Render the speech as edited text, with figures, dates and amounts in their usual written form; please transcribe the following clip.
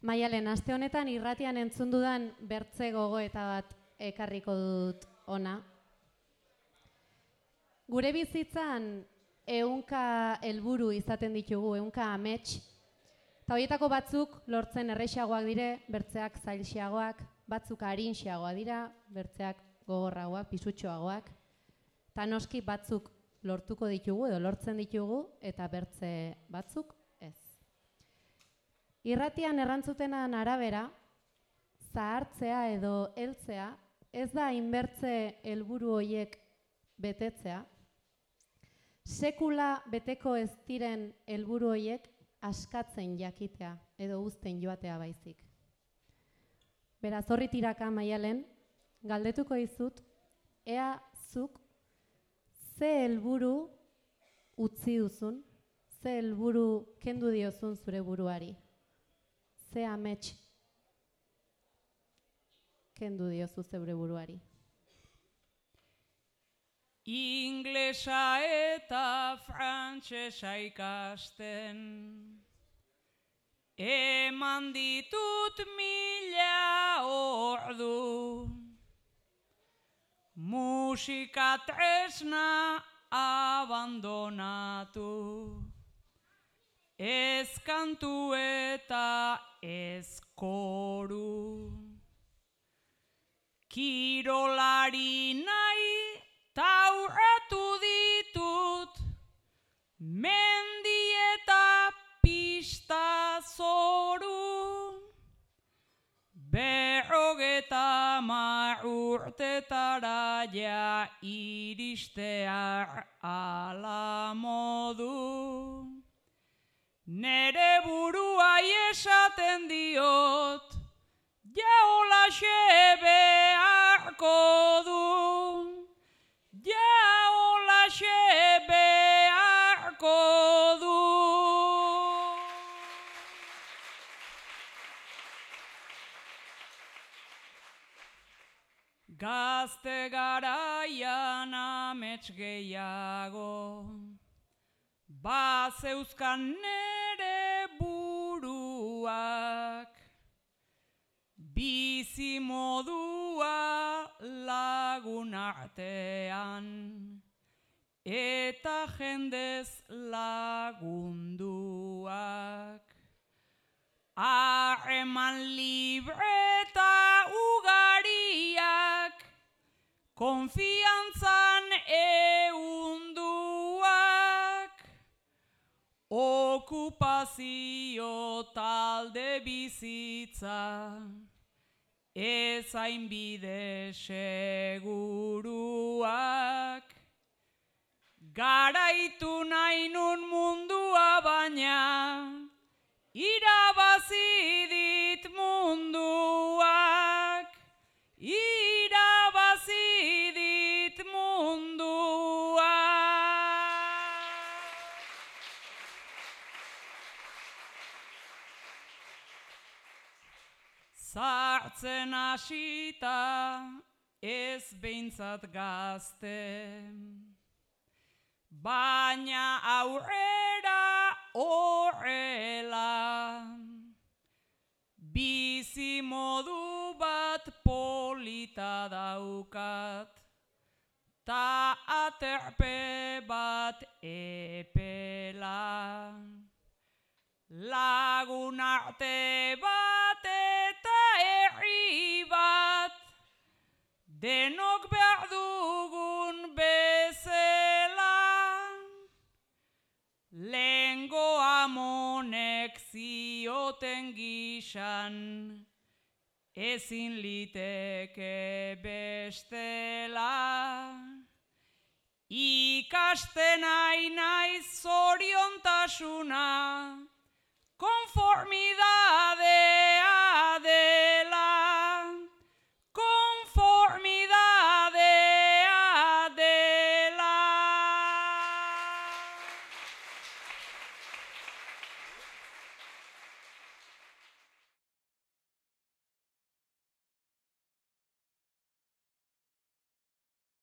Maialen, aste honetan irratian entzun dudan bertze gogoeta bat ekarriko dut ona. Gure bizitzan ehunka helburu izaten ditugu, ehunka amets, eta horietako batzuk lortzen errexagoak dire, bertzeak zailxeagoak, batzuk arinxeagoak dira, bertzeak gogorragoak, pisutxoagoak, eta noski batzuk lortuko ditugu edo lortzen ditugu, eta bertze batzuk ez. Irratian errantzutenan arabera, zahartzea edo heltzea ez da inbertze helburu horiek betetzea, sekula beteko ez diren helburu horiek askatzen jakitea edo uzten joatea baizik. Beraz, horri tiraka, Maialen, galdetuko dizut, ea zuk ze helburu utzi duzun, ze helburu kendu diozun zure buruari, ze amets kendu diozu zeure buruari. Inglesa eta frantsesa ikasten, eman ditut 1000 ordu, musika tresna abandonatu, ez kantu eta ez koru, kirolari nahi taurratu ditut, mendi eta pista zoru, 50 urtetara ja iristear ala modu. Nere buruai esaten diot, ja holaxe beharko du. Ja holaxe beharko du. Gazte garaian amets gehiago, bazeuzkan nere buruak, bizi modua lagun artean, eta jendez lagunduak. Harreman libre eta ugariak, konfiantzan ehunduak, okupazio talde bizitza, ez hainbide seguruak. Garaitu nahi nun mundua baina, irabazi dit munduak, irabazi dit munduak. Zartzen hasita ez behintzat gazte, baina aurrera horrela, bizi modu bat polita daukat, ta aterpe bat epela. Lagun arte bat eta herri bat, denok behar dugun bezala. Lehengo amonek zioten gizan, ezin liteke bestela. Ikasten nahi naiz zoriontasuna,